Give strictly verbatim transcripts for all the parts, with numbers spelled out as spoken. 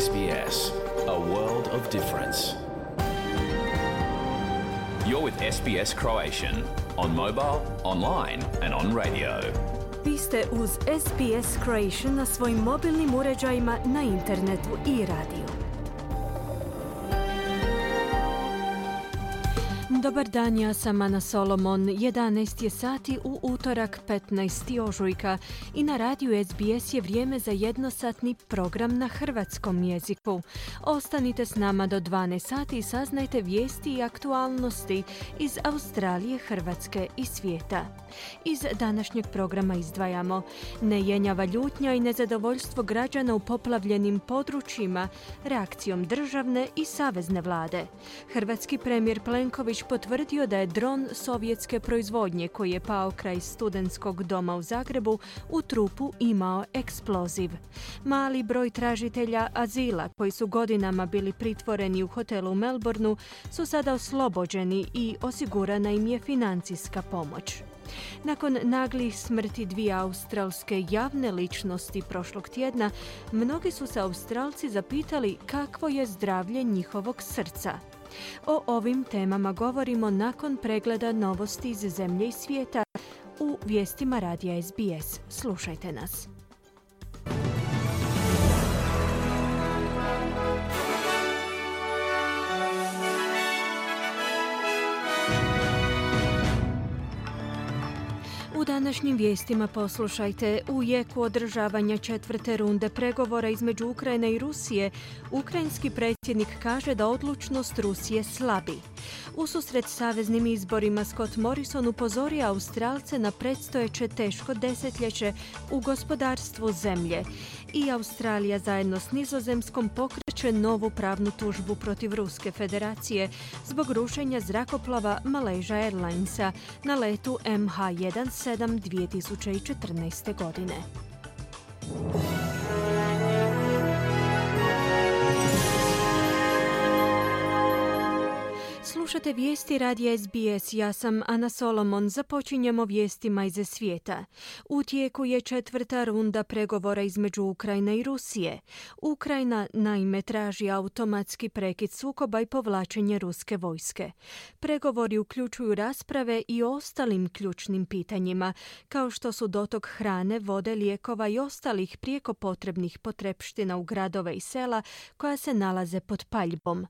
S B S, a world of difference. You're with S B S Croatian on mobile, online and on radio. Vi ste uz S B S Croatian na svojim mobilnim uređajima, na internetu i radiju. Dobar dan, ja sam Ana Solomon. jedanaest je sati u utorak petnaestog ožujka i na radiju S B S je vrijeme za jednosatni program na hrvatskom jeziku. Ostanite s nama do dvanaest sati i saznajte vijesti i aktualnosti iz Australije, Hrvatske i svijeta. Iz današnjeg programa izdvajamo: nejenjava ljutnja i nezadovoljstvo građana u poplavljenim područjima reakcijom državne i savezne vlade. Hrvatski premijer Plenković potvrdio da je dron sovjetske proizvodnje koji je pao kraj studentskog doma u Zagrebu u trupu imao eksploziv. Mali broj tražitelja azila koji su godinama bili pritvoreni u hotelu u Melbourneu su sada oslobođeni i osigurana im je financijska pomoć. Nakon naglih smrti dvije australske javne ličnosti prošlog tjedna, mnogi su se Australci zapitali kakvo je zdravlje njihovog srca. O ovim temama govorimo nakon pregleda novosti iz zemlje i svijeta u vijestima radija S B S. Slušajte nas. U današnjim vijestima poslušajte: u jeku održavanja četvrte runde pregovora između Ukrajine i Rusije, ukrajinski predsjednik kaže da odlučnost Rusije slabi. Ususret saveznim izborima Scott Morrison upozorio Australce na predstojeće teško desetljeće u gospodarstvu zemlje. I Australija zajedno s Nizozemskom pokreće novu pravnu tužbu protiv Ruske federacije zbog rušenja zrakoplova Malaysia Airlinesa na letu M H sedamnaest dvije tisuće četrnaeste. godine. Slušate vijesti radija S B S, ja sam Ana Solomon. Započinjemo vijestima iz svijeta. U tijeku je četvrta runda pregovora između Ukrajine i Rusije. Ukrajina naime traži automatski prekid sukoba i povlačenje ruske vojske. Pregovori uključuju rasprave i o ostalim ključnim pitanjima, kao što su dotok hrane, vode, lijekova i ostalih prijeko potrebnih potrepština u gradove i sela koja se nalaze pod paljbom.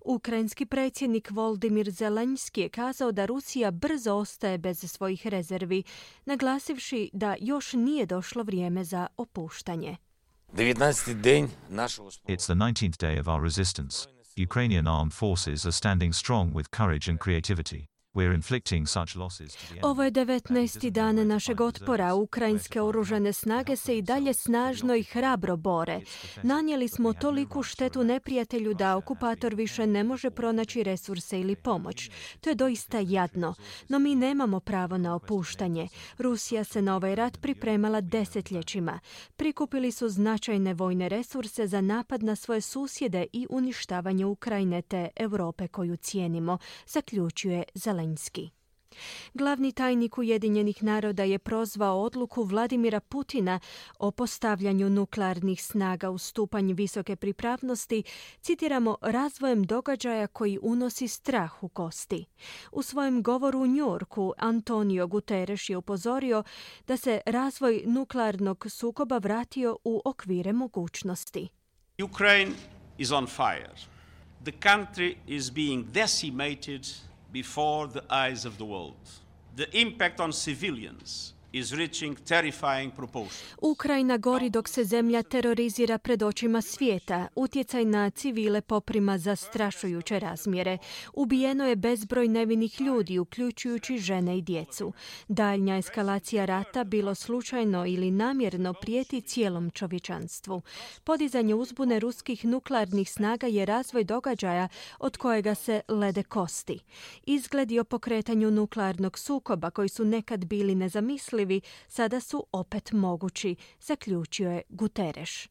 Ukrajinski predsjednik Volodymyr Zelenski je kazao da Rusija brzo ostaje bez svojih rezervi, naglasivši da još nije došlo vrijeme za opuštanje. It's the nineteenth day of our resistance. Ukrainian armed forces are standing strong with courage and creativity. We're inflicting such losses to the enemy. Ovo je devetnaesti dan našeg otpora. Ukrajinske oružane snage se i dalje snažno i hrabro bore. Nanijeli smo toliku štetu neprijatelju da okupator više ne može pronaći resurse ili pomoć. To je doista jadno, no mi nemamo pravo na opuštanje. Rusija se na ovaj rat pripremala desetljećima. Prikupili su značajne vojne resurse za napad na svoje susjede i uništavanje Ukrajine te Europe koju cijenimo, zaključuje Zelenski. Glavni tajnik Ujedinjenih naroda je prozvao odluku Vladimira Putina o postavljanju nuklearnih snaga u stupanj visoke pripravnosti, citiramo, razvojem događaja koji unosi strah u kosti. U svojem govoru u New Yorku Antonio Guterres je upozorio da se razvoj nuklearnog sukoba vratio u okvire mogućnosti. Ukraine is on fire. The country is being decimated before the eyes of the world. The impact on civilians is reaching terrifying proportions. Ukrajina gori dok se zemlja terorizira pred očima svijeta. Utjecaj na civile poprima zastrašujuće razmjere. Ubijeno je bezbroj nevinih ljudi, uključujući žene i djecu. Daljnja eskalacija rata, bilo slučajno ili namjerno, prijeti cijelom čovječanstvu. Podizanje uzbune ruskih nuklearnih snaga je razvoj događaja od kojega se lede kosti. Izgledi o pokretanju nuklearnog sukoba koji su nekad bili nezamislivi sada su opet mogući, zaključio je Guterres.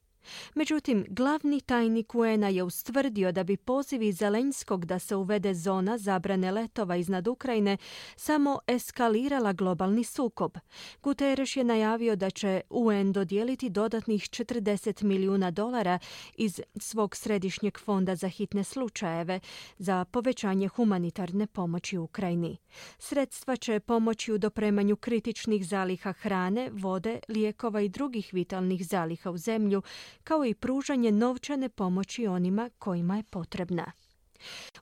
Međutim, glavni tajnik U N-a je ustvrdio da bi pozivi Zelenskog da se uvede zona zabrane letova iznad Ukrajine samo eskalirala globalni sukob. Guterres je najavio da će U N dodijeliti dodatnih četrdeset milijuna dolara iz svog središnjeg fonda za hitne slučajeve za povećanje humanitarne pomoći Ukrajini. Sredstva će pomoći u dopremanju kritičnih zaliha hrane, vode, lijekova i drugih vitalnih zaliha u zemlju, kao i pružanje novčane pomoći onima kojima je potrebna.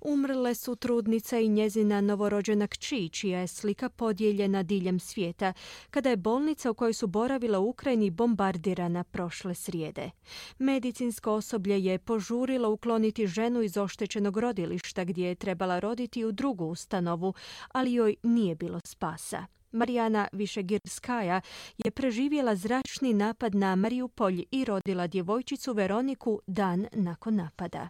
Umrle su trudnica i njezina novorođena kći, čija je slika podijeljena diljem svijeta, kada je bolnica u kojoj su boravila u Ukrajini bombardirana prošle srijede. Medicinsko osoblje je požurilo ukloniti ženu iz oštećenog rodilišta gdje je trebala roditi u drugu ustanovu, ali joj nije bilo spasa. Marijana Višegirskaja je preživjela zračni napad na Mariupolj i rodila djevojčicu Veroniku dan nakon napada.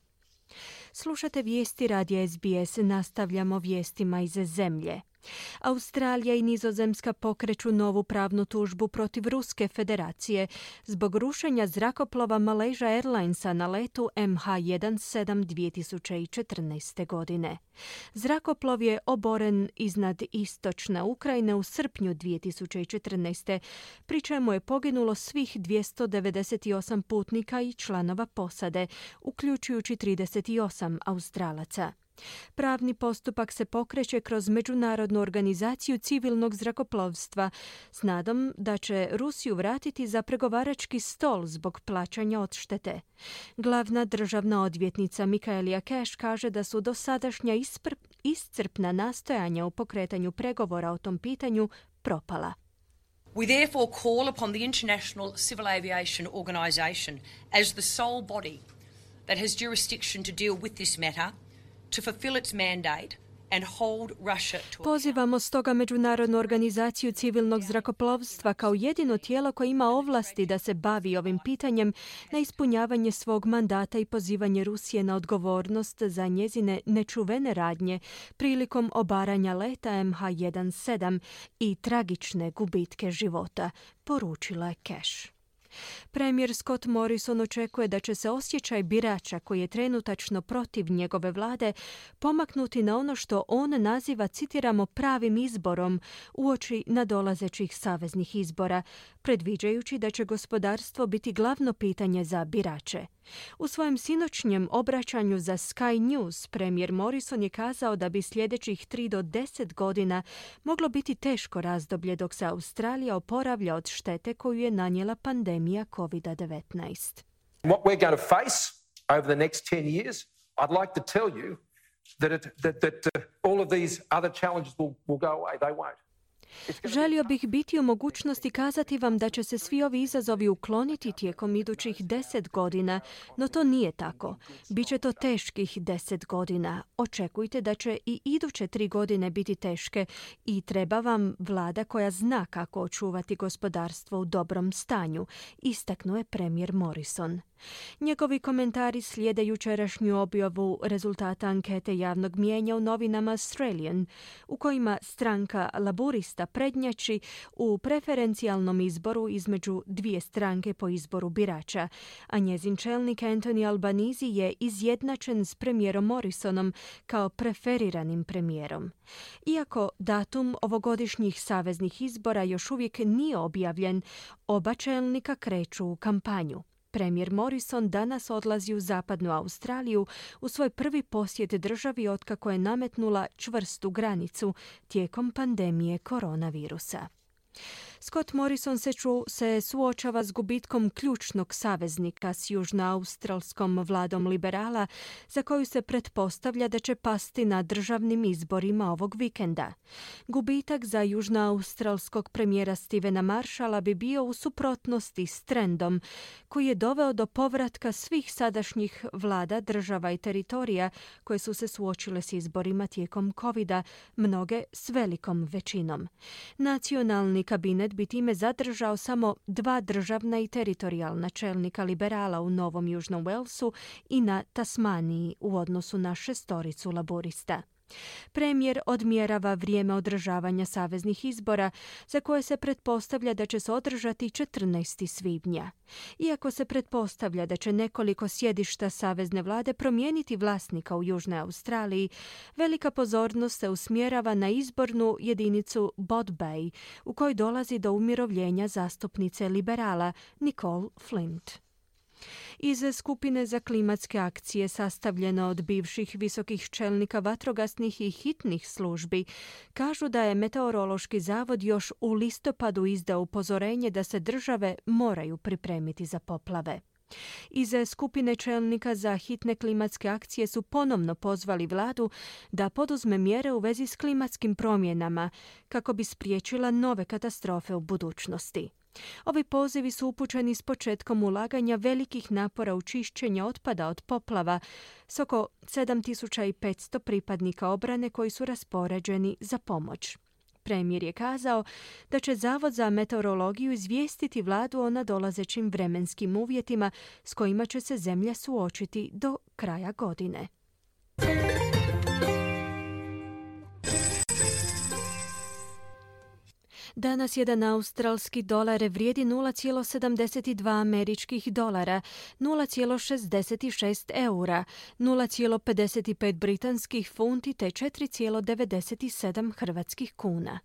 Slušate vijesti radija S B S, nastavljamo vijestima iz zemlje. Australija i Nizozemska pokreću novu pravnu tužbu protiv Ruske federacije zbog rušenja zrakoplova Malaysia Airlinesa na letu M H sedamnaest dvije tisuće četrnaeste. godine. Zrakoplov je oboren iznad istočne Ukrajine u srpnju dvije tisuće četrnaeste. pri čemu je poginulo svih dvjesto devedeset osam putnika i članova posade, uključujući trideset osam Australaca. Pravni postupak se pokreće kroz Međunarodnu organizaciju civilnog zrakoplovstva s nadom da će Rusiju vratiti za pregovarački stol zbog plaćanja odštete. Glavna državna odvjetnica Michaelia Cash kaže da su dosadašnja ispr- iscrpna nastojanja u pokretanju pregovora o tom pitanju propala. We therefore call upon the International Civil Aviation Organisation as the sole body that has jurisdiction to deal with this matter to fulfill its mandate and hold Russia to Pozivamo stoga Međunarodnu organizaciju civilnog zrakoplovstva kao jedino tijelo koje ima ovlasti da se bavi ovim pitanjem na ispunjavanje svog mandata i pozivanje Rusije na odgovornost za njezine nečuvene radnje prilikom obaranja leta M H sedamnaest i tragične gubitke života, poručila je Cash. Premijer Scott Morrison očekuje da će se osjećaj birača koji je trenutačno protiv njegove vlade pomaknuti na ono što on naziva, citiramo, pravim izborom uoči nadolazećih saveznih izbora, predviđajući da će gospodarstvo biti glavno pitanje za birače. U svojem sinoćnjem obraćanju za Sky News premijer Morrison je kazao da bi sljedećih tri do deset godina moglo biti teško razdoblje dok se Australija oporavlja od štete koju je nanijela pandemija covid devetnaest. What we're going to face over the next ten years, I'd like to tell you that it, that, that uh, all of these other challenges will, will go away. They won't. Želio bih biti u mogućnosti kazati vam da će se svi ovi izazovi ukloniti tijekom idućih deset godina, no to nije tako. Biće to teških deset godina. Očekujte da će i iduće tri godine biti teške i treba vam vlada koja zna kako očuvati gospodarstvo u dobrom stanju, istaknuo je premijer Morrison. Njegovi komentari slijede jučerašnju objavu rezultata ankete javnog mijenja u novinama Australian, u kojima stranka Laburista prednjači u preferencijalnom izboru između dvije stranke po izboru birača, a njezin čelnik Anthony Albanese je izjednačen s premijerom Morrisonom kao preferiranim premijerom. Iako datum ovogodišnjih saveznih izbora još uvijek nije objavljen, oba čelnika kreću u kampanju. Premijer Morrison danas odlazi u zapadnu Australiju u svoj prvi posjet državi otkako je nametnula čvrstu granicu tijekom pandemije koronavirusa. Scott Morrison se, ču, se suočava s gubitkom ključnog saveznika s južnoaustralskom vladom liberala, za koju se pretpostavlja da će pasti na državnim izborima ovog vikenda. Gubitak za južnoaustralskog premijera Stevena Marshalla bi bio u suprotnosti s trendom koji je doveo do povratka svih sadašnjih vlada, država i teritorija koje su se suočile s izborima tijekom covida, mnoge s velikom većinom. Nacionalni kabinet bi time zadržao samo dva državna i teritorijalna čelnika liberala u Novom Južnom Walesu i na Tasmaniji u odnosu na šestoricu laborista. Premijer odmjerava vrijeme održavanja saveznih izbora, za koje se pretpostavlja da će se održati četrnaestog svibnja. Iako se pretpostavlja da će nekoliko sjedišta savezne vlade promijeniti vlasnika u Južnoj Australiji, velika pozornost se usmjerava na izbornu jedinicu Bot Bay, u kojoj dolazi do umirovljenja zastupnice liberala Nicole Flint. Iz skupine za klimatske akcije sastavljeno od bivših visokih čelnika vatrogasnih i hitnih službi kažu da je Meteorološki zavod još u listopadu izdao upozorenje da se države moraju pripremiti za poplave. Iz skupine čelnika za hitne klimatske akcije su ponovno pozvali vladu da poduzme mjere u vezi s klimatskim promjenama kako bi spriječila nove katastrofe u budućnosti. Ovi pozivi su upućeni s početkom ulaganja velikih napora u čišćenje otpada od poplava s oko sedam tisuća petsto pripadnika obrane koji su raspoređeni za pomoć. Premijer je kazao da će Zavod za meteorologiju izvijestiti vladu o nadolazećim vremenskim uvjetima s kojima će se zemlja suočiti do kraja godine. Danas jedan australski dolar vrijedi nula zarez sedamdeset dva američkih dolara, nula zarez šezdeset šest eura, nula zarez pedeset pet britanskih funti te četiri zarez devedeset sedam hrvatskih kuna.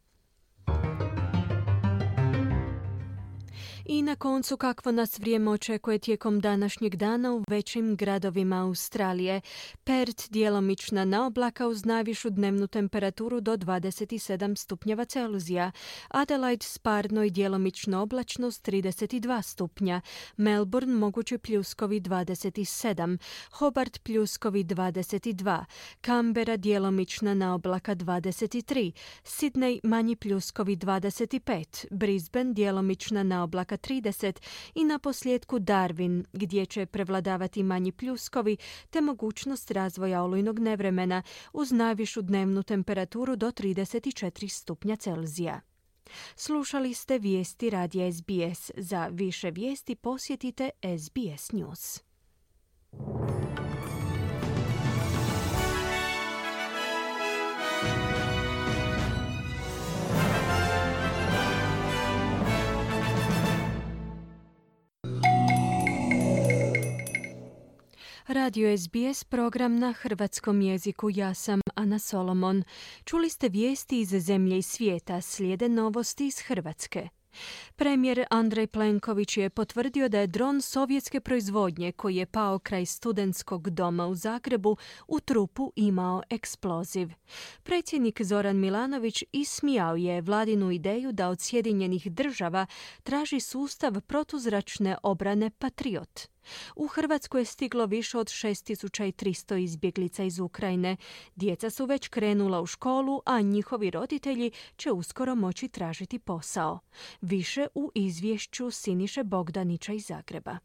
I na koncu kakvo nas vrijeme očekuje tijekom današnjeg dana u većim gradovima Australije. Perth djelomična na oblaka uz najvišu dnevnu temperaturu do dvadeset sedam stupnjeva Celzija. Adelaide sparno i djelomično oblačno s trideset dva stupnja. Melbourne mogući pljuskovi dvadeset sedam. Hobart pljuskovi dvadeset dva. Canberra djelomična na oblaka dvadeset tri. Sydney manji pljuskovi dvadeset pet. Brisbane djelomična na oblaka trideset i na posljedku Darwin, gdje će prevladavati manji pljuskovi te mogućnost razvoja olujnog nevremena uz najvišu dnevnu temperaturu do trideset četiri stupnja Celzija. Slušali ste vijesti radija S B S. Za više vijesti posjetite S B S News. Radio S B S, program na hrvatskom jeziku. Ja sam Ana Solomon. Čuli ste vijesti iz zemlje i svijeta, slijede novosti iz Hrvatske. Premijer Andrej Plenković je potvrdio da je dron sovjetske proizvodnje koji je pao kraj studentskog doma u Zagrebu u trupu imao eksploziv. Predsjednik Zoran Milanović ismijao je vladinu ideju da od Sjedinjenih država traži sustav protuzračne obrane Patriot. U Hrvatsku je stiglo više od šest tisuća tristo izbjeglica iz Ukrajine. Djeca su već krenula u školu, a njihovi roditelji će uskoro moći tražiti posao. Više u izvješću Siniše Bogdanića iz Zagreba.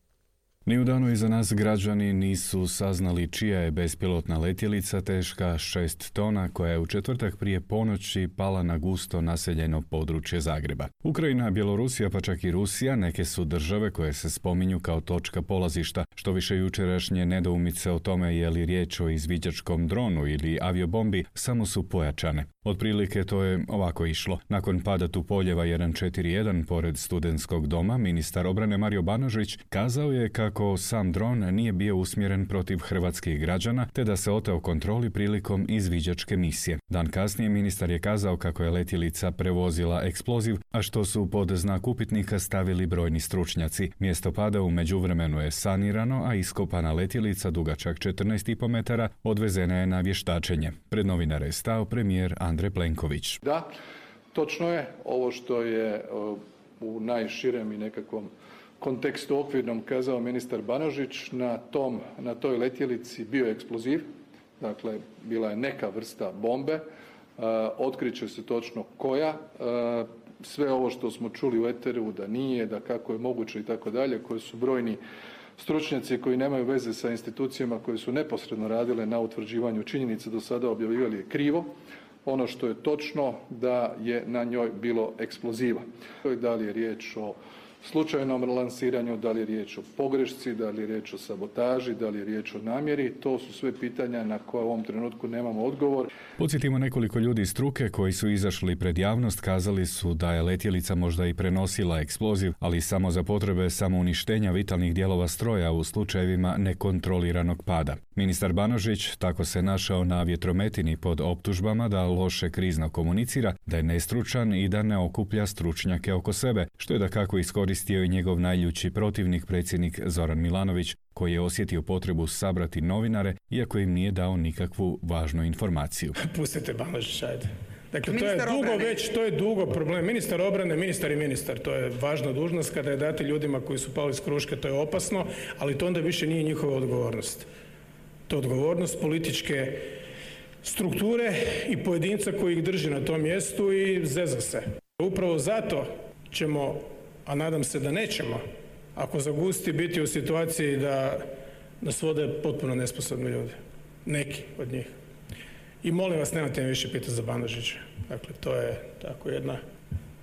Ni u danu iza nas građani nisu saznali čija je bespilotna letjelica teška šest tona koja je u četvrtak prije ponoći pala na gusto naseljeno područje Zagreba. Ukrajina, Bjelorusija pa čak i Rusija neke su države koje se spominju kao točka polazišta. Što više jučerašnje nedoumice o tome je li riječ o izviđačkom dronu ili aviobombi samo su pojačane. Otprilike to je ovako išlo. Nakon pada Tupoljeva jedan četiri jedan pored studentskog doma, ministar obrane Mario Banožić kazao je kako sam dron nije bio usmjeren protiv hrvatskih građana, te da se oteo kontroli prilikom izviđačke misije. Dan kasnije ministar je kazao kako je letjelica prevozila eksploziv, a što su pod znak upitnika stavili brojni stručnjaci. Mjesto pada u međuvremenu je sanirano, a iskopana letjelica dugačak četrnaest i po metara odvezena je na vještačenje. Pred novinare je stao premijer Andrej Plenković. Da, točno je ovo što je u najširem i nekakvom kontekstu okvirnom kazao ministar Banožić. Na, tom, na toj letjelici bio je eksploziv, dakle bila je neka vrsta bombe, otkriće se točno koja, sve ovo što smo čuli u eteru da nije, da kako je moguće i tako dalje, koji su brojni stručnjaci koji nemaju veze sa institucijama koje su neposredno radile na utvrđivanju činjenica do sada objavljivali je krivo. Ono što je točno da je na njoj bilo eksploziva. Da li je riječ o slučajnom lansiranju, da li je riječ o pogrešci, da li je riječ o sabotaži, da li je riječ o namjeri. To su sve pitanja na koje u ovom trenutku nemamo odgovor. Podsjetimo, nekoliko ljudi iz struke koji su izašli pred javnost kazali su da je letjelica možda i prenosila eksploziv, ali samo za potrebe samouništenja vitalnih dijelova stroja u slučajevima nekontroliranog pada. Ministar Banožić tako se našao na vjetrometini pod optužbama da loše krizno komunicira, da je nestručan i da ne okuplja stručnjake oko sebe, što je dakako iskoristio i njegov najljući protivnik, predsjednik Zoran Milanović, koji je osjetio potrebu sabrati novinare, iako im nije dao nikakvu važnu informaciju. Pustite Banožića, ajde. Dakle, to je dugo već, to je dugo problem. Ministar obrane, ministar i ministar, to je važna dužnost. Kada je dati ljudima koji su pali s kruške, to je opasno, ali to onda više nije njihova odgovornost. To je odgovornost političke strukture i pojedinca koji ih drži na tom mjestu i zeza se. Upravo zato ćemo, a nadam se da nećemo, ako zagusti, biti u situaciji da nas vode potpuno nesposobni ljudi. Neki od njih. I molim vas, nemojte me više pitati za Banožića. Dakle, to je tako jedna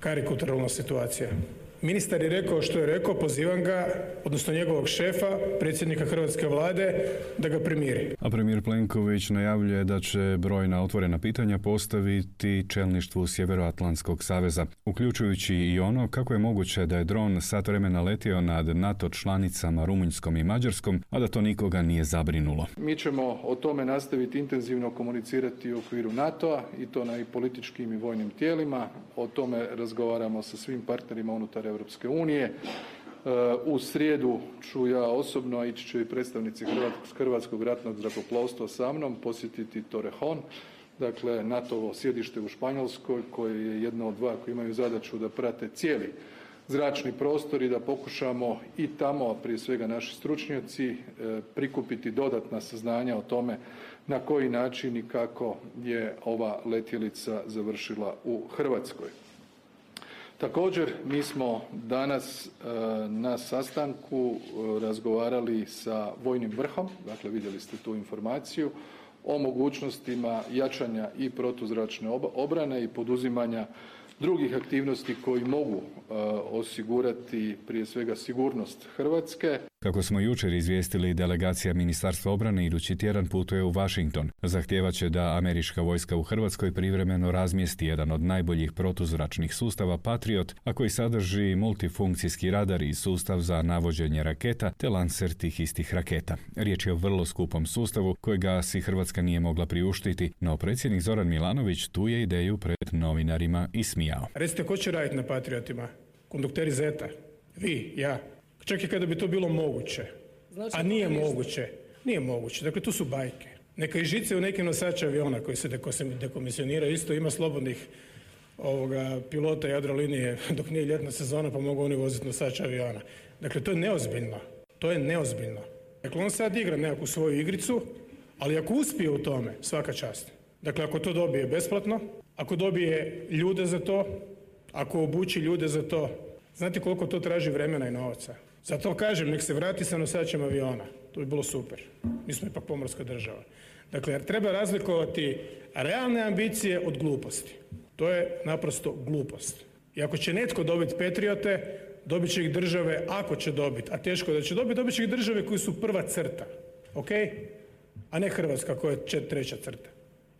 karikaturalna situacija. Ministar je rekao što je rekao, pozivam ga, odnosno njegovog šefa, predsjednika Hrvatske vlade, da ga primiri. A premijer Plenković najavljuje da će brojna otvorena pitanja postaviti čelništvu Sjevernoatlantskog saveza, uključujući i ono kako je moguće da je dron sat vremena letio nad NATO članicama Rumunjskom i Mađarskom, a da to nikoga nije zabrinulo. Mi ćemo o tome nastaviti intenzivno komunicirati u okviru NATO-a i to na i političkim i vojnim tijelima. O tome razgovaramo sa svim partnerima unutar Europske unije. U srijedu ću ja osobno, a ići će i predstavnici Hrvatskog ratnog zrakoplovstva sa mnom, posjetiti Torrejon, dakle NATO-ovo sjedište u Španjolskoj, koje je jedno od dva koji imaju zadaću da prate cijeli zračni prostor i da pokušamo i tamo, a prije svega naši stručnjaci, prikupiti dodatna saznanja o tome na koji način i kako je ova letjelica završila u Hrvatskoj. Također, mi smo danas na sastanku razgovarali sa vojnim vrhom, dakle vidjeli ste tu informaciju, o mogućnostima jačanja i protuzračne obrane i poduzimanja drugih aktivnosti koji mogu osigurati prije svega sigurnost Hrvatske. Kako smo jučer izvijestili, delegacija Ministarstva obrane idući tjedan putuje u Washington. Zahtijevat će da američka vojska u Hrvatskoj privremeno razmjesti jedan od najboljih protuzračnih sustava Patriot, a koji sadrži multifunkcijski radar i sustav za navođenje raketa te lancer tih istih raketa. Riječ je o vrlo skupom sustavu kojega si Hrvatska nije mogla priuštiti, no predsjednik Zoran Milanović tu je ideju pred novinarima ismijao. Recite, ko će raditi na Patriotima? Kondukteri Zeta? Vi? Ja? Čak i kada bi to bilo moguće. A nije moguće. Nije moguće. Dakle, tu su bajke. Neka i žice u nekim nosača aviona koji se dekomisioniraju. Isto ima slobodnih ovoga, pilota Jadrolinije dok nije ljetna sezona pa mogu oni voziti nosača aviona. Dakle, to je neozbiljno. To je neozbiljno. Dakle, on sad igra nekakvu svoju igricu, ali ako uspije u tome, svaka čast. Dakle, ako to dobije besplatno, ako dobije ljude za to, ako obuči ljude za to, znate koliko to traži vremena i novaca? Zato kažem, nek se vrati sa nosačem aviona. To bi bilo super. Mi smo ipak pomorska država. Dakle, treba razlikovati realne ambicije od gluposti. To je naprosto glupost. I ako će netko dobiti Patriote, dobit će ih države, ako će dobiti, a teško da će dobiti, dobit će ih države koji su prva crta. Ok? A ne Hrvatska koja je treća crta.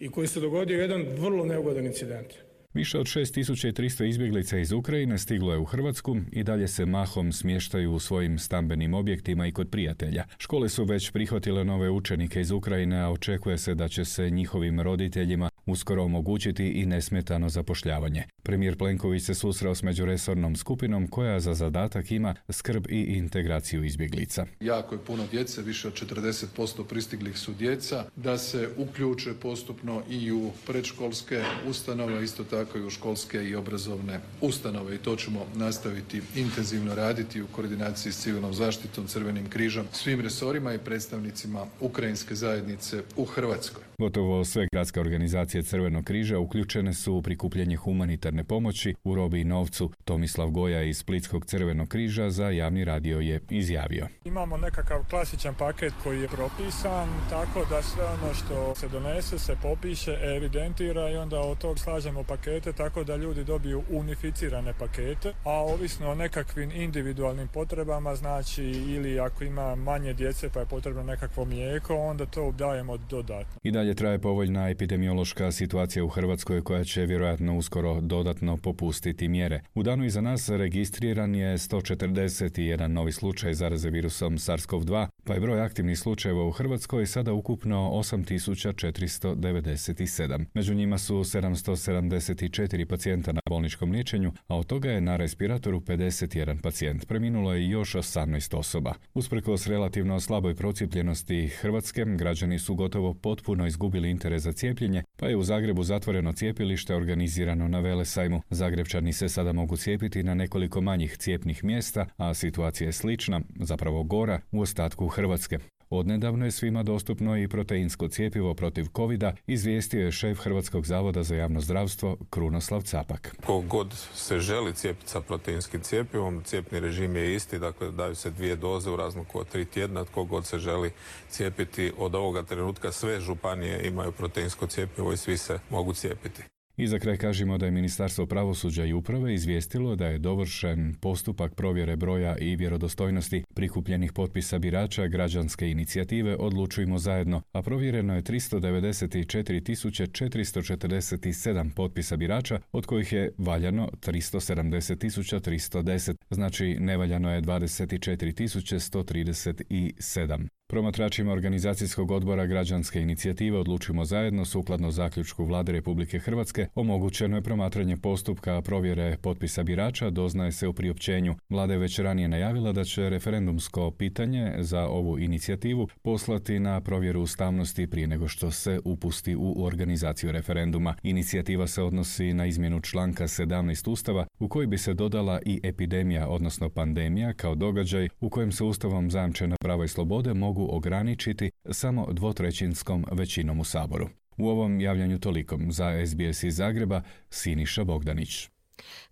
I koji se dogodio jedan vrlo neugodan incident. Više od šest tisuća tristo izbjeglica iz Ukrajine stiglo je u Hrvatsku i dalje se mahom smještaju u svojim stambenim objektima i kod prijatelja. Škole su već prihvatile nove učenike iz Ukrajine, a očekuje se da će se njihovim roditeljima uskoro omogućiti i nesmetano zapošljavanje. Premijer Plenković se susreo s međuresornom skupinom koja za zadatak ima skrb i integraciju izbjeglica. Jako je puno djece, više od četrdeset posto pristiglih su djeca, da se uključe postupno i u predškolske ustanove, isto tako i u školske i obrazovne ustanove. I to ćemo nastaviti intenzivno raditi u koordinaciji s civilnom zaštitom, Crvenim križom, svim resorima i predstavnicima ukrajinske zajednice u Hrvatskoj. Gotovo sve gradske organizacije Crvenog križa uključene su u prikupljanje humanitarne pomoći u robi i novcu. Tomislav Goja iz Splitskog Crvenog križa za javni radio je izjavio. Imamo nekakav klasičan paket koji je propisan, tako da sve ono što se donese se popiše, evidentira i onda od tog slažemo paket pakete, tako da ljudi dobiju unificirane pakete, a ovisno o nekakvim individualnim potrebama, znači ili ako ima manje djece pa je potrebno nekakvo mlijeko, onda to dajemo dodatno. I dalje traje povoljna epidemiološka situacija u Hrvatskoj koja će vjerojatno uskoro dodatno popustiti mjere. U danu iza nas registriran je sto četrdeset jedan novi slučaj zaraze virusom SARS-CoV dva, pa je broj aktivnih slučajeva u Hrvatskoj sada ukupno osam tisuća četiristo devedeset sedam. Među njima su sedamsto sedamdeset četiri pacijenta na bolničkom liječenju, a od toga je na respiratoru pedeset jedan pacijent. Preminulo je još osamnaest osoba. Usprkos relativno slaboj procijepljenosti Hrvatske, građani su gotovo potpuno izgubili interes za cijepljenje, pa je u Zagrebu zatvoreno cijepilište organizirano na Velesajmu. Zagrebčani se sada mogu cijepiti na nekoliko manjih cijepnih mjesta, a situacija je slična, zapravo gora, u ostatku Hrvatske. Odnedavno je svima dostupno i proteinsko cjepivo protiv covida, izvijestio je šef Hrvatskog zavoda za javno zdravstvo Krunoslav Capak. Ko god se želi cijepiti sa proteinskim cjepivom, cijepni režim je isti, dakle daju se dvije doze u razmaku od tri tjedna. Tko god se želi cijepiti od ovoga trenutka, sve županije imaju proteinsko cjepivo i svi se mogu cijepiti. I za kraj kažemo da je Ministarstvo pravosuđa i uprave izvijestilo da je dovršen postupak provjere broja i vjerodostojnosti prikupljenih potpisa birača građanske inicijative Odlučujmo zajedno, a provjereno je tristo devedeset četiri tisuće četiristo četrdeset sedam potpisa birača, od kojih je valjano tristo sedamdeset tisuća tristo deset, znači nevaljano je dvadeset četiri tisuće sto trideset sedam. Promatračima organizacijskog odbora građanske inicijative Odlučimo zajedno, sukladno zaključku Vlade Republike Hrvatske, omogućeno je promatranje postupka provjere potpisa birača, doznaje se u priopćenju. Vlada je već ranije najavila da će referendumsko pitanje za ovu inicijativu poslati na provjeru ustavnosti prije nego što se upusti u organizaciju referenduma. Inicijativa se odnosi na izmjenu članka sedamnaest Ustava, u koji bi se dodala i epidemija, odnosno pandemija, kao događaj u kojem se Ustavom zajamčena prava i slobode mogu ograničiti samo dvotrećinskom većinom u Saboru. U ovom javljanju toliko. Za S B S iz Zagreba, Siniša Bogdanić.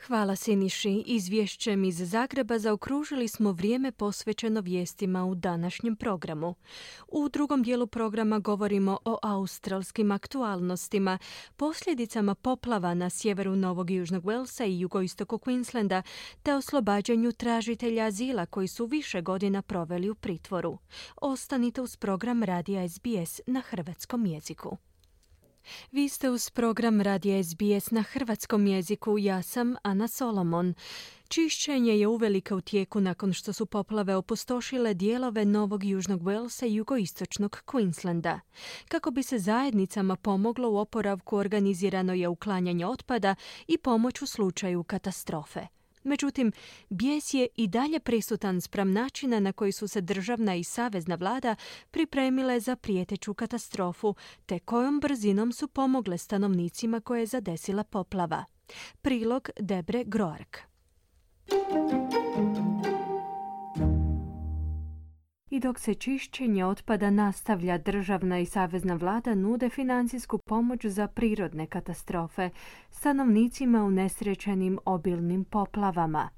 Hvala Siniši. Izvješćem iz Zagreba zaokružili smo vrijeme posvećeno vijestima u današnjem programu. U drugom dijelu programa govorimo o australskim aktualnostima, posljedicama poplava na sjeveru Novog i Južnog Walesa i jugoistoku Queenslanda, te oslobađanju tražitelja azila koji su više godina proveli u pritvoru. Ostanite uz program Radija S B S na hrvatskom jeziku. Vi ste uz program Radija S B S na hrvatskom jeziku, ja sam Ana Solomon. Čišćenje je uvelike u tijeku nakon što su poplave opustošile dijelove Novog i Južnog Walesa i jugoistočnog Queenslanda. Kako bi se zajednicama pomoglo u oporavku, organizirano je uklanjanje otpada i pomoć u slučaju katastrofe. Međutim, bijes je i dalje prisutan spram načina na koji su se državna i savezna vlada pripremile za prijeteću katastrofu, te kojom brzinom su pomogle stanovnicima koje je zadesila poplava. Prilog Debre Groark. I dok se čišćenje otpada nastavlja, državna i savezna vlada nude financijsku pomoć za prirodne katastrofe stanovnicima unesrećenim obilnim poplavama.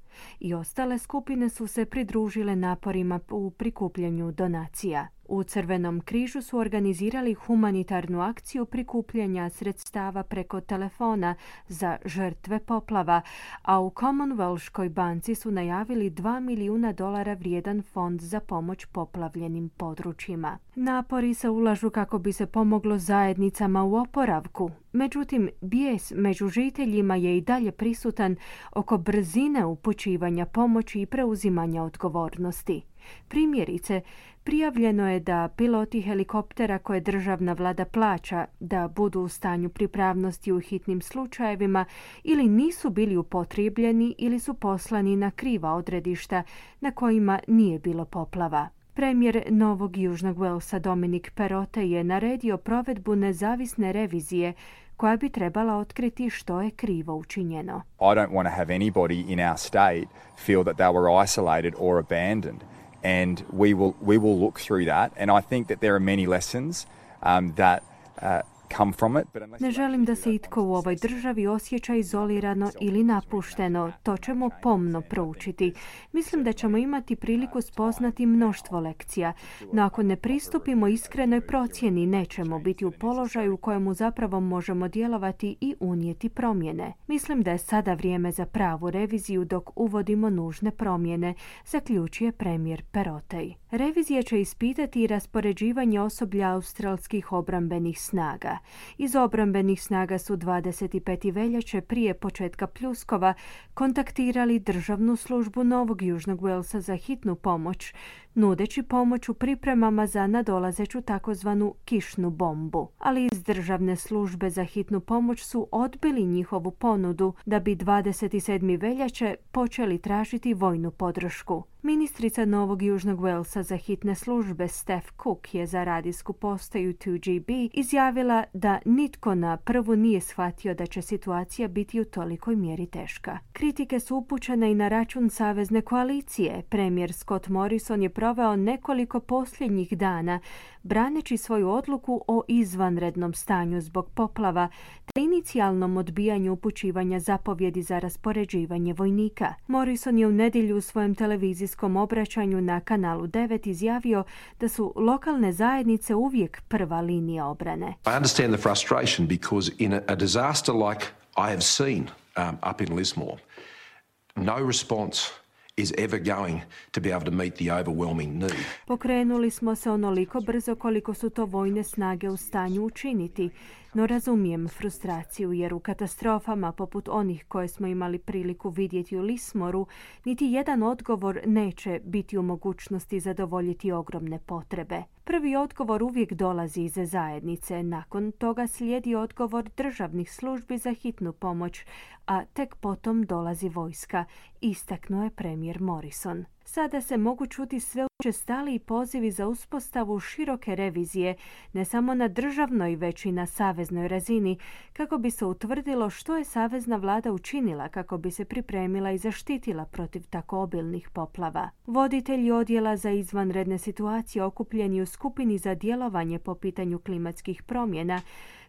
I ostale skupine su se pridružile naporima u prikupljanju donacija. U Crvenom križu su organizirali humanitarnu akciju prikupljanja sredstava preko telefona za žrtve poplava, a u Commonwealthskoj banci su najavili dva milijuna dolara vrijedan fond za pomoć poplavljenim područjima. Napori se ulažu kako bi se pomoglo zajednicama u oporavku. Međutim, bijes među žiteljima je i dalje prisutan oko brzine upućivanja pomoći i preuzimanja odgovornosti. Primjerice, prijavljeno je da piloti helikoptera koje državna vlada plaća da budu u stanju pripravnosti u hitnim slučajevima ili nisu bili upotrijebljeni ili su poslani na kriva odredišta na kojima nije bilo poplava. Premijer Novog i Južnog Walesa Dominic Perrottet je naredio provedbu nezavisne revizije koja bi trebala otkriti što je krivo učinjeno. I don't want to have anybody in our state feel that they were isolated or abandoned. And we will we will look through that. And I think that there are many lessons um, that uh, come from it. But unless Ne želim da se itko u ovoj državi osjeća izolirano ili napušteno. To ćemo pomno proučiti. Mislim da ćemo imati priliku spoznati mnoštvo lekcija. No ako ne pristupimo iskrenoj procjeni, nećemo biti u položaju u kojemu zapravo možemo djelovati i unijeti promjene. Mislim da je sada vrijeme za pravu reviziju dok uvodimo nužne promjene, zaključuje premijer Perotej. Revizija će ispitati i raspoređivanje osoblja australskih obrambenih snaga. Iz obrambenih snaga su dvadeset pete veljače prije početka pljuskova kontaktirali državnu službu Novog Južnog Walesa za hitnu pomoć, nudeći pomoć u pripremama za nadolazeću takozvanu kišnu bombu. Ali iz državne službe za hitnu pomoć su odbili njihovu ponudu da bi dvadeset sedmog veljače počeli tražiti vojnu podršku. Ministrica Novog Južnog Walesa za hitne službe Steph Cook je za radijsku postaju two G B izjavila da nitko na prvu nije shvatio da će situacija biti u tolikoj mjeri teška. Kritike su upućene i na račun savezne koalicije. Premijer Scott Morrison je proveo nekoliko posljednjih dana braneći svoju odluku o izvanrednom stanju zbog poplava te inicijalnom odbijanju upućivanja zapovjedi za raspoređivanje vojnika. Morrison je u nedjelju u svojem televizijskom obraćanju na kanalu devet izjavio da su lokalne zajednice uvijek prva linija obrane. I understand the frustration because in a, a disaster like I have seen um, up in Lismore, no response is ever going to be able to meet the overwhelming need. Pokrenuli smo se onoliko brzo koliko su to vojne snage u stanju učiniti, no razumijem frustraciju jer u katastrofama poput onih koje smo imali priliku vidjeti u Lismoru, niti jedan odgovor neće biti u mogućnosti zadovoljiti ogromne potrebe. Prvi odgovor uvijek dolazi iz zajednice, nakon toga slijedi odgovor državnih službi za hitnu pomoć, a tek potom dolazi vojska, istaknuo je premijer Morrison. Sada se mogu čuti sve učestaliji pozivi za uspostavu široke revizije, ne samo na državnoj, već i na saveznoj razini, kako bi se utvrdilo što je savezna vlada učinila kako bi se pripremila i zaštitila protiv tako obilnih poplava. Voditelji odjela za izvanredne situacije okupljeni u skupini za djelovanje po pitanju klimatskih promjena,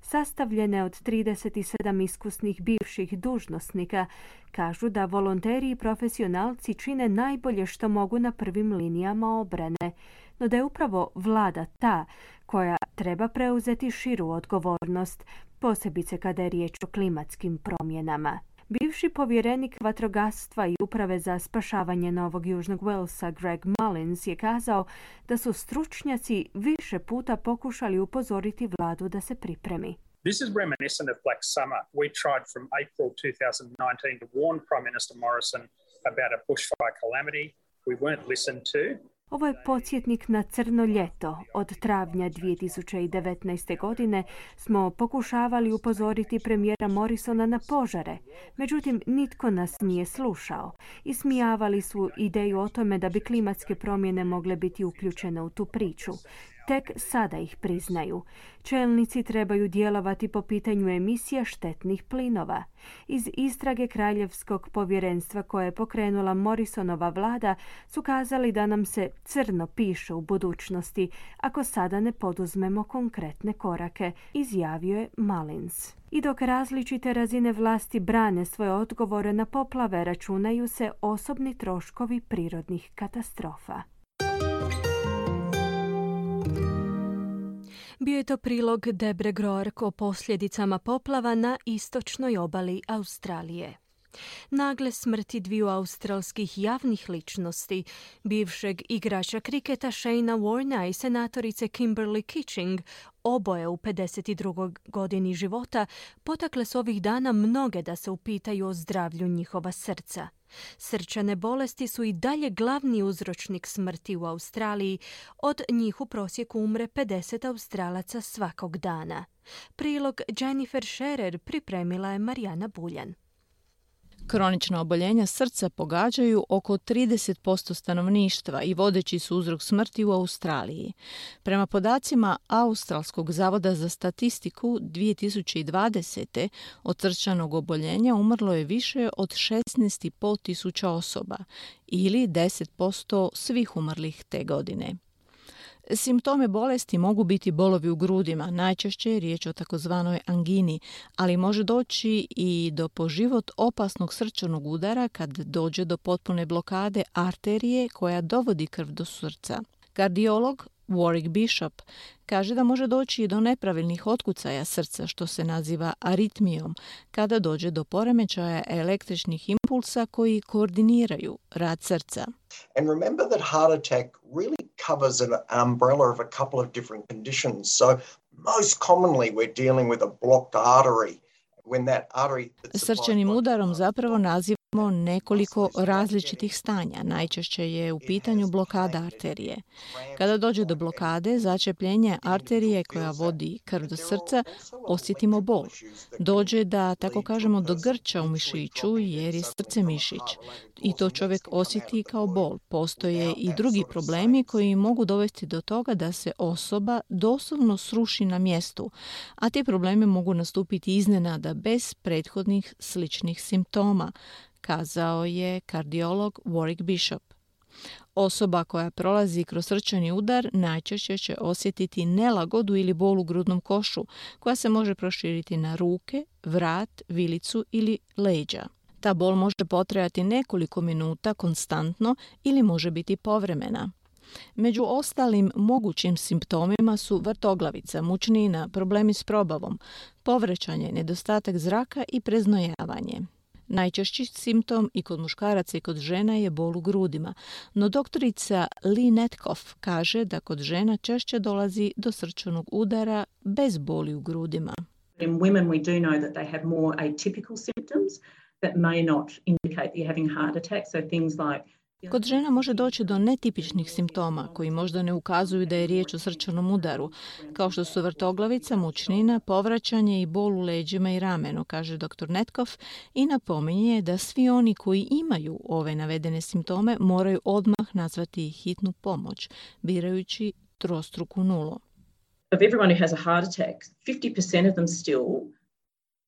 sastavljene od trideset sedam iskusnih bivših dužnosnika, kažu da volonteri i profesionalci čine najbolje što mogu na prvim linijama obrane, no da je upravo vlada ta koja treba preuzeti širu odgovornost, posebice kada je riječ o klimatskim promjenama. Bivši povjerenik vatrogastva i uprave za spašavanje Novog Južnog Walesa Greg Mullins je kazao da su stručnjaci više puta pokušali upozoriti vladu da se pripremi. This is reminiscent of Black Summer. We tried from April twenty nineteen to warn Prime Minister Morrison about a bushfire calamity. We weren't listened to. Ovo je podsjetnik na crno ljeto. Od travnja dvije tisuće devetnaeste. godine smo pokušavali upozoriti premijera Morrisona na požare. Međutim, nitko nas nije slušao. Ismijavali su ideju o tome da bi klimatske promjene mogle biti uključene u tu priču. Tek sada ih priznaju. Čelnici trebaju djelovati po pitanju emisija štetnih plinova. Iz istrage Kraljevskog povjerenstva koje je pokrenula Morrisonova vlada su kazali da nam se crno piše u budućnosti ako sada ne poduzmemo konkretne korake, izjavio je Mullins. I dok različite razine vlasti brane svoje odgovore na poplave, računaju se osobni troškovi prirodnih katastrofa. Bio je to prilog Debre Groark o posljedicama poplava na istočnoj obali Australije. Nagle smrti dviju australskih javnih ličnosti, bivšeg igrača kriketa Shayna Warnea i senatorice Kimberly Kitching, oboje u pedeset drugoj godini života, potakle su ovih dana mnoge da se upitaju o zdravlju njihova srca. Srčane bolesti su i dalje glavni uzročnik smrti u Australiji. Od njih u prosjeku umre pedeset Australaca svakog dana. Prilog Jennifer Scherer pripremila je Marijana Buljan. Kronična oboljenja srca pogađaju oko trideset posto stanovništva i vodeći su uzrok smrti u Australiji. Prema podacima Australskog zavoda za statistiku dvije tisuće dvadesete. od srčanog oboljenja umrlo je više od šesnaest i pol tisuća osoba ili deset posto svih umrlih te godine. Simptome bolesti mogu biti bolovi u grudima, najčešće je riječ o takozvanoj angini, ali može doći i do po život opasnog srčanog udara kad dođe do potpune blokade arterije koja dovodi krv do srca. Kardiolog Warwick Bishop kaže da može doći i do nepravilnih otkucaja srca, što se naziva aritmijom, kada dođe do poremećaja električnih impulsa koji koordiniraju rad srca. And remember that heart attack really covers an umbrella of a couple of different conditions. So most commonly we're dealing with a blocked artery. When that artery Srčanim udarom zapravo nazivamo nekoliko različitih stanja. Najčešće je u pitanju blokada arterije. Kada dođe do blokade, začepljenje arterije koja vodi krv do srca, osjetimo bol. Dođe da, tako kažemo, do grča u mišiću jer je srce mišić. I to čovjek osjeti kao bol. Postoje i drugi problemi koji mogu dovesti do toga da se osoba doslovno sruši na mjestu, a ti problemi mogu nastupiti iznenada bez prethodnih sličnih simptoma, kazao je kardiolog Warwick Bishop. Osoba koja prolazi kroz srčani udar najčešće će osjetiti nelagodu ili bol u grudnom košu, koja se može proširiti na ruke, vrat, vilicu ili leđa. Ta bol može potrajati nekoliko minuta konstantno ili može biti povremena. Među ostalim mogućim simptomima su vrtoglavica, mučnina, problemi s probavom, povraćanje, nedostatak zraka i preznojavanje. Najčešći simptom i kod muškaraca i kod žena je bol u grudima, no doktorica Lee Netkoff kaže da kod žena češće dolazi do srčanog udara bez boli u grudima. In women we do know that they have more atypical symptoms that may not indicate that you're having a heart attack, so things like Kod žena može doći do netipičnih simptoma koji možda ne ukazuju da je riječ o srčanom udaru, kao što su vrtoglavica, mučnina, povraćanje i bol u leđima i ramenu, kaže doktor Netkoff i napominje da svi oni koji imaju ove navedene simptome moraju odmah nazvati hitnu pomoć, birajući trostruku nulu. Of everyone who has a heart attack, fifty percent of them still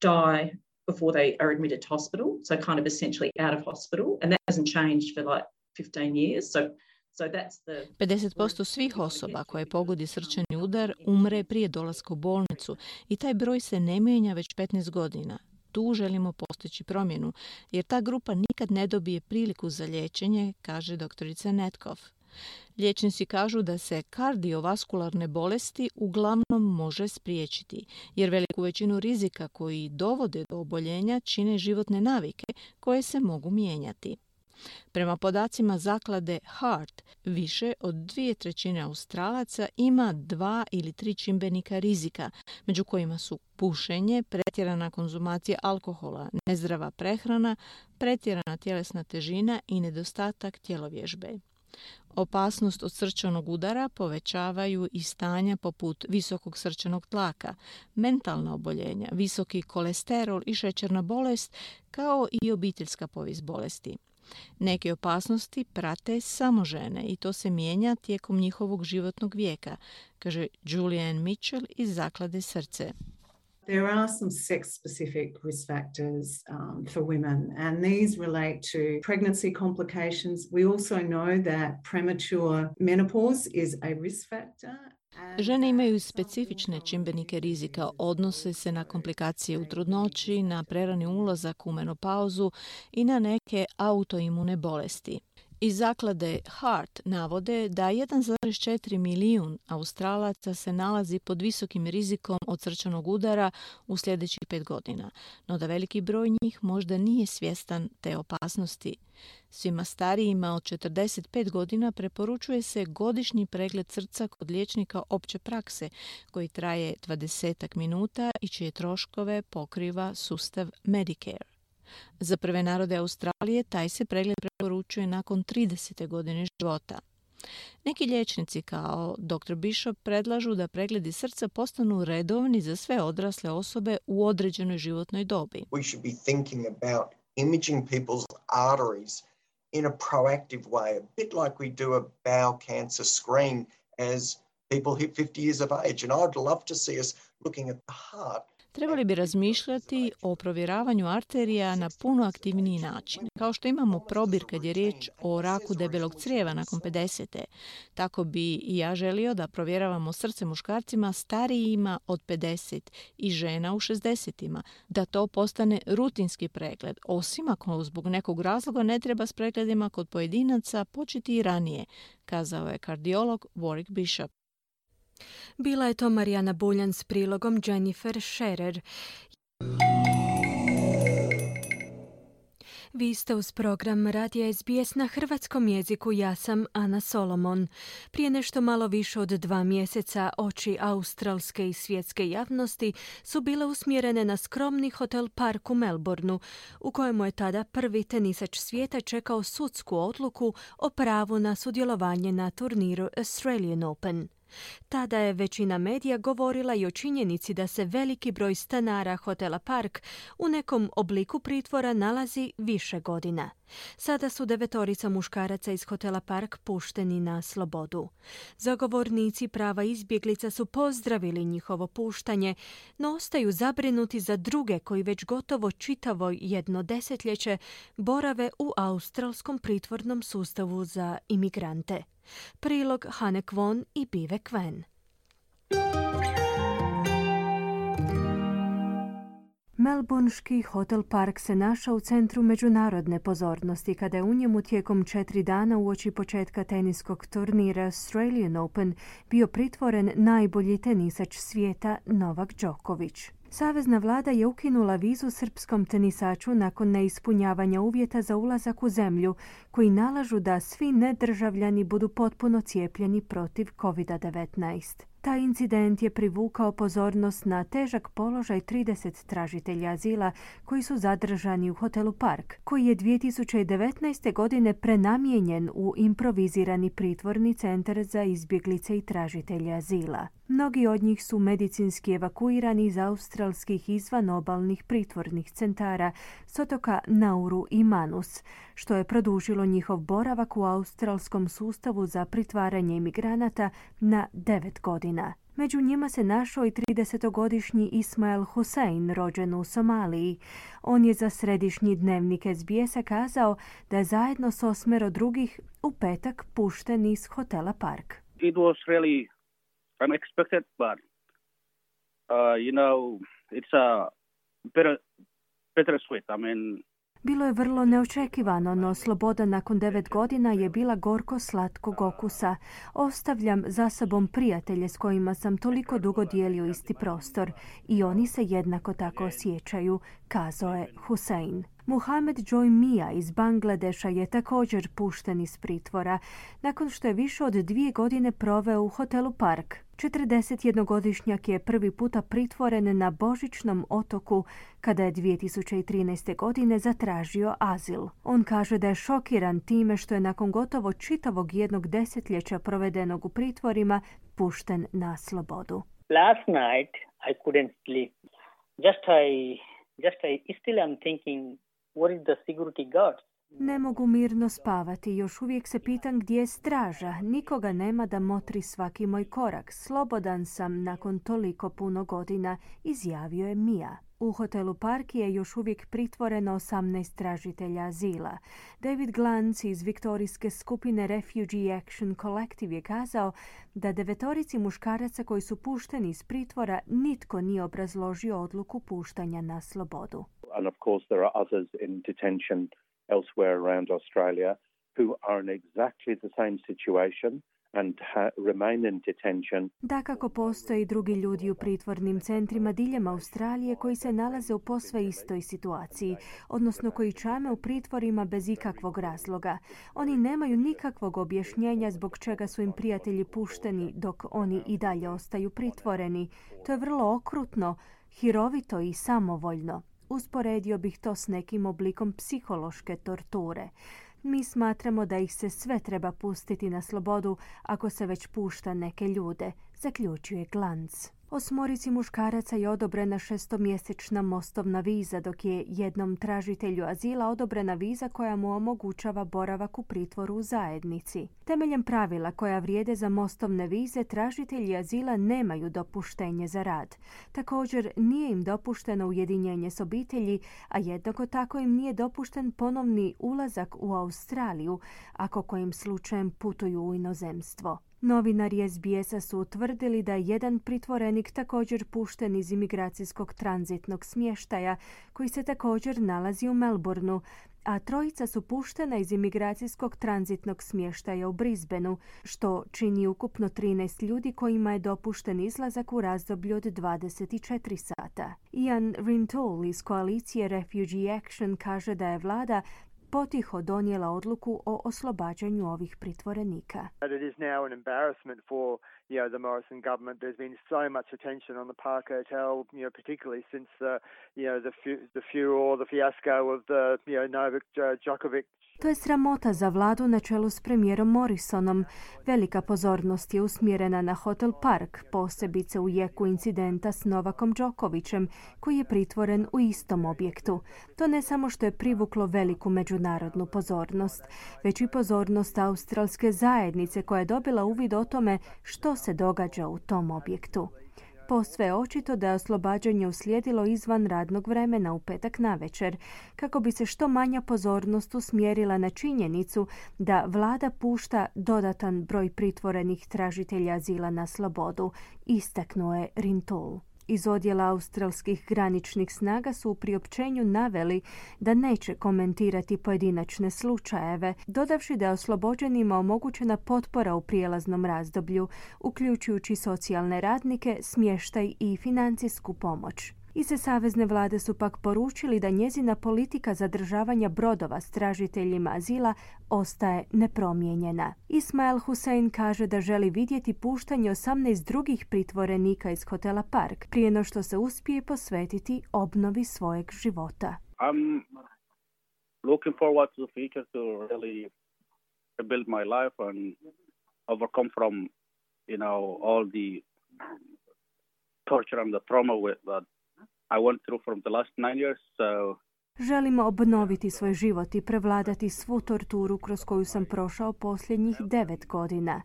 die before they are admitted to hospital, so kind of essentially out of hospital, and that hasn't changed for like fifteen years. So, so that's the... pedeset posto svih osoba koje pogodi srčani udar umre prije dolaska u bolnicu i taj broj se ne mijenja već petnaest godina. Tu želimo postići promjenu, jer ta grupa nikad ne dobije priliku za liječenje, kaže doktorica Netkoff. Liječnici kažu da se kardiovaskularne bolesti uglavnom može spriječiti, jer veliku većinu rizika koji dovode do oboljenja čine životne navike koje se mogu mijenjati. Prema podacima zaklade Heart, više od dvije trećine Australaca ima dva ili tri čimbenika rizika, među kojima su pušenje, pretjerana konzumacija alkohola, nezdrava prehrana, pretjerana tjelesna težina i nedostatak tjelovježbe. Opasnost od srčanog udara povećavaju i stanja poput visokog srčanog tlaka, mentalna oboljenja, visoki kolesterol i šećerna bolest, kao i obiteljska povijest bolesti. Neke opasnosti prate samo žene i to se mijenja tijekom njihovog životnog vijeka, kaže Julianne Mitchell iz zaklade Srce. There are some sex-specific risk factors um, for women, and these relate to pregnancy complications. We also know that premature menopause is a risk factor. Žene imaju specifične čimbenike rizika, odnose se na komplikacije u trudnoći, na prerani ulazak u menopauzu i na neke autoimune bolesti. Iz zaklade Heart navode da jedan zarez četiri milijun Australaca se nalazi pod visokim rizikom od srčanog udara u sljedećih pet godina, no da veliki broj njih možda nije svjestan te opasnosti. Svima starijima od četrdeset pet godina preporučuje se godišnji pregled srca kod liječnika opće prakse koji traje dvadeset minuta i čije troškove pokriva sustav Medicare. Za prve narode Australije taj se pregled preporučuje nakon tridesete godine života. Neki liječnici kao doktor Bishop predlažu da pregledi srca postanu redovni za sve odrasle osobe u određenoj životnoj dobi. We should be thinking about imaging people's arteries in a proactive way, a bit like we do a bowel cancer screen as people hit fifty years of age. And I'd love to see us looking at the heart. trebali bi razmišljati o provjeravanju arterija na puno aktivniji način. Kao što imamo probir kad je riječ o raku debelog crijeva nakon pedesete, tako bi i ja želio da provjeravamo srce muškarcima starijima od pedeset i žena u šezdesetima, da to postane rutinski pregled, osim ako zbog nekog razloga ne treba s pregledima kod pojedinaca početi i ranije, kazao je kardiolog Warwick Bishop. Bila je to Marijana Buljan s prilogom Jennifer Scherer. Vi ste uz program Radija S B S na hrvatskom jeziku. Ja sam Ana Solomon. Prije nešto malo više od dva mjeseca oči australske i svjetske javnosti su bile usmjerene na skromni hotel Park u Melbourneu, u kojemu je tada prvi tenisač svijeta čekao sudsku odluku o pravu na sudjelovanje na turniru Australian Open. Tada je većina medija govorila i o činjenici da se veliki broj stanara hotela Park u nekom obliku pritvora nalazi više godina. Sada su devetorica muškaraca iz hotela Park pušteni na slobodu. Zagovornici prava izbjeglica su pozdravili njihovo puštanje, no ostaju zabrinuti za druge koji već gotovo čitavo jedno desetljeće borave u australskom pritvornom sustavu za imigrante. Prilog Hane Kwon i Bive Kwen. Melbourneški hotel Park se našao u centru međunarodne pozornosti kada je u njemu tijekom četiri dana uoči početka teniskog turnira Australian Open bio pritvoren najbolji tenisač svijeta Novak Đoković. Savezna vlada je ukinula vizu srpskom tenisaču nakon neispunjavanja uvjeta za ulazak u zemlju, koji nalažu da svi nedržavljani budu potpuno cijepljeni protiv kovid devetnaest. Taj incident je privukao pozornost na težak položaj trideset tražitelja azila koji su zadržani u hotelu Park, koji je dvije tisuće devetnaeste. godine prenamijenjen u improvizirani pritvorni centar za izbjeglice i tražitelje azila. Mnogi od njih su medicinski evakuirani iz australskih izvanobalnih pritvornih centara s otoka Nauru i Manus, što je produžilo njihov boravak u australskom sustavu za pritvaranje imigranata na devet godina. Među njima se našao i tridesetogodišnji Ismail Hussein, rođen u Somaliji. On je za središnji dnevnik S B S-a kazao da je zajedno s osmero drugih u petak pušten iz hotela Park. It was really unexpected, but uh, you know, it's a bitter, bittersweet. I mean, Bilo je vrlo neočekivano, no sloboda nakon devet godina je bila gorko slatkog okusa. Ostavljam za sobom prijatelje s kojima sam toliko dugo dijelio isti prostor i oni se jednako tako osjećaju, kazao je Hussein. Muhamed Joy Mia iz Bangladeša je također pušten iz pritvora nakon što je više od dvije godine proveo u hotelu Park. četrdesetjednogodišnjak je prvi puta pritvoren na Božićnom otoku kada je dvije tisuće trinaeste. godine zatražio azil. On kaže da je šokiran time što je nakon gotovo čitavog jednog desetljeća provedenog u pritvorima pušten na slobodu. Last night I couldn't sleep. Just I, just I still am thinking, what is the security guards? Ne mogu mirno spavati, još uvijek se pitam gdje je straža. Nikoga nema da motri svaki moj korak. Slobodan sam nakon toliko puno godina, izjavio je Mia. U hotelu Park je još uvijek pritvoreno osamnaest tražitelja azila. David Glantz iz viktorijske skupine Refugee Action Collective je kazao da devetorici muškaraca koji su pušteni iz pritvora nitko nije obrazložio odluku puštanja na slobodu. And of course there are others in detention elsewhere around Australia who are in exactly the same situation and ha- remain in detention. Dakako postoje i drugi ljudi u pritvornim centrima diljem Australije koji se nalaze u posve istoj situaciji, odnosno koji čame u pritvorima bez ikakvog razloga. Oni nemaju nikakvog objašnjenja zbog čega su im prijatelji pušteni dok oni i dalje ostaju pritvoreni. To je vrlo okrutno, hirovito i samovoljno. Usporedio bih to s nekim oblikom psihološke torture. Mi smatramo da ih se sve treba pustiti na slobodu ako se već pušta neke ljude, zaključuje Glantz. Osmorici muškaraca je odobrena šestomjesečna mostovna viza, dok je jednom tražitelju azila odobrena viza koja mu omogućava boravak u pritvoru u zajednici. Temeljem pravila koja vrijede za mostovne vize, tražitelji azila nemaju dopuštenje za rad. Također, nije im dopušteno ujedinjenje s obitelji, a jednako tako im nije dopušten ponovni ulazak u Australiju, ako kojim slučajem putuju u inozemstvo. Novinari S B S-a su utvrdili da je jedan pritvorenik također pušten iz imigracijskog tranzitnog smještaja, koji se također nalazi u Melbourneu, a trojica su puštena iz imigracijskog tranzitnog smještaja u Brisbaneu, što čini ukupno trinaest ljudi kojima je dopušten izlazak u razdoblju od dvadeset četiri sata. Ian Rintoul iz koalicije Refugee Action kaže da je vlada potiho donijela odluku o oslobađanju ovih pritvorenika. It is now an embarrassment for you know the Morrison government. There's been so much attention on the Park Hotel, you know, particularly since the you know the the furor, the fiasco of the you know Novak Djokovic. To je sramota za vladu na čelu s premijerom Morrisonom. Velika pozornost je usmjerena na Hotel Park, posebice u jeku incidenta s Novakom Đokovićem, koji je pritvoren u istom objektu. To ne samo što je privuklo veliku međunarodnu pozornost, već i pozornost australske zajednice koja je dobila uvid o tome što se događa u tom objektu. Posve je očito da je oslobađanje uslijedilo izvan radnog vremena u petak navečer, kako bi se što manja pozornost usmjerila na činjenicu da vlada pušta dodatan broj pritvorenih tražitelja azila na slobodu, istaknuo je Rintoul. Iz odjela australskih graničnih snaga su u priopćenju naveli da neće komentirati pojedinačne slučajeve, dodavši da je oslobođenima omogućena potpora u prijelaznom razdoblju, uključujući socijalne radnike, smještaj i financijsku pomoć. Iz savezne vlade su pak poručili da njezina politika zadržavanja brodova s tražiteljima azila ostaje nepromijenjena. Ismail Hussein kaže da želi vidjeti puštanje osamnaest drugih pritvorenika iz hotela Park prije no što se uspije posvetiti obnovi svojeg života. I'm looking forward to the future to really rebuild my life and overcome from, you know, all the torture and the trauma with that I went through from the last nine years, so... Želimo obnoviti svoj život i prevladati svu torturu kroz koju sam prošao posljednjih devet godina.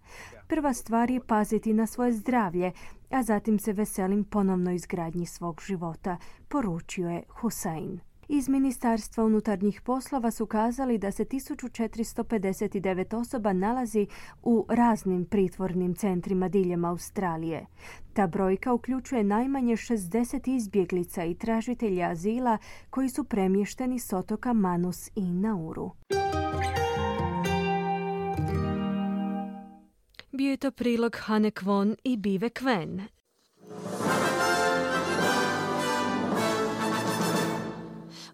Prva stvar je paziti na svoje zdravlje, a zatim se veselim ponovnoj izgradnji svog života, poručio je Hussein. Iz Ministarstva unutarnjih poslova su kazali da se tisuću četiristo pedeset devet osoba nalazi u raznim pritvornim centrima diljem Australije. Ta brojka uključuje najmanje šezdeset izbjeglica i tražitelja azila koji su premješteni s otoka Manus i Nauru. Bio je to prilog Hane Kwon i Bive Kven.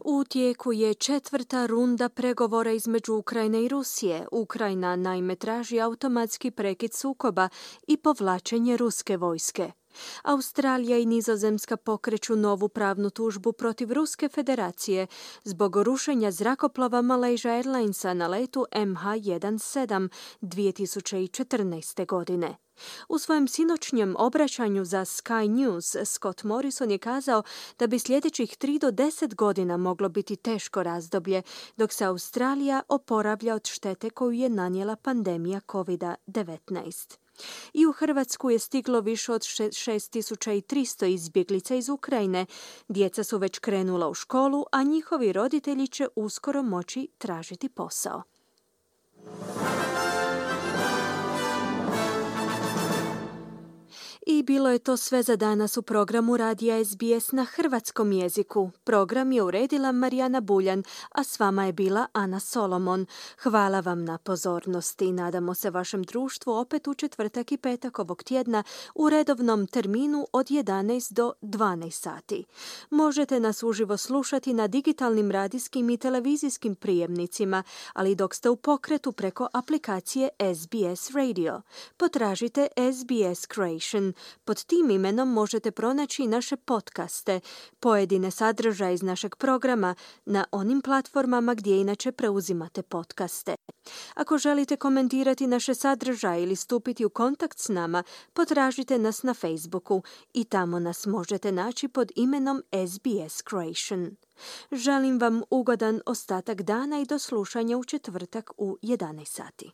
U tijeku je četvrta runda pregovora između Ukrajine i Rusije. Ukrajina naime traži automatski prekid sukoba i povlačenje ruske vojske. Australija i Nizozemska pokreću novu pravnu tužbu protiv Ruske federacije zbog rušenja zrakoplova Malaysia Airlinesa na letu M H sedamnaest dvije tisuće četrnaeste. godine. U svojem sinoćnjem obraćanju za Sky News, Scott Morrison je kazao da bi sljedećih tri do deset godina moglo biti teško razdoblje, dok se Australija oporavlja od štete koju je nanijela pandemija covid devetnaest. I u Hrvatsku je stiglo više od šest tisuća tristo izbjeglica iz Ukrajine. Djeca su već krenula u školu, a njihovi roditelji će uskoro moći tražiti posao. I bilo je to sve za danas u programu Radija S B S na hrvatskom jeziku. Program je uredila Marijana Buljan, a s vama je bila Ana Solomon. Hvala vam na pozornosti i nadamo se vašem društvu opet u četvrtak i petak ovog tjedna u redovnom terminu od jedanaest do dvanaest sati. Možete nas uživo slušati na digitalnim radijskim i televizijskim prijemnicima, ali dok ste u pokretu preko aplikacije S B S Radio. Potražite S B S Creation. Croatian. Pod tim imenom možete pronaći naše podcaste, pojedine sadržaje iz našeg programa na onim platformama gdje inače preuzimate podcaste. Ako želite komentirati naše sadržaje ili stupiti u kontakt s nama, potražite nas na Facebooku i tamo nas možete naći pod imenom S B S Croatian. Želim vam ugodan ostatak dana i do slušanja u četvrtak u jedanaest sati.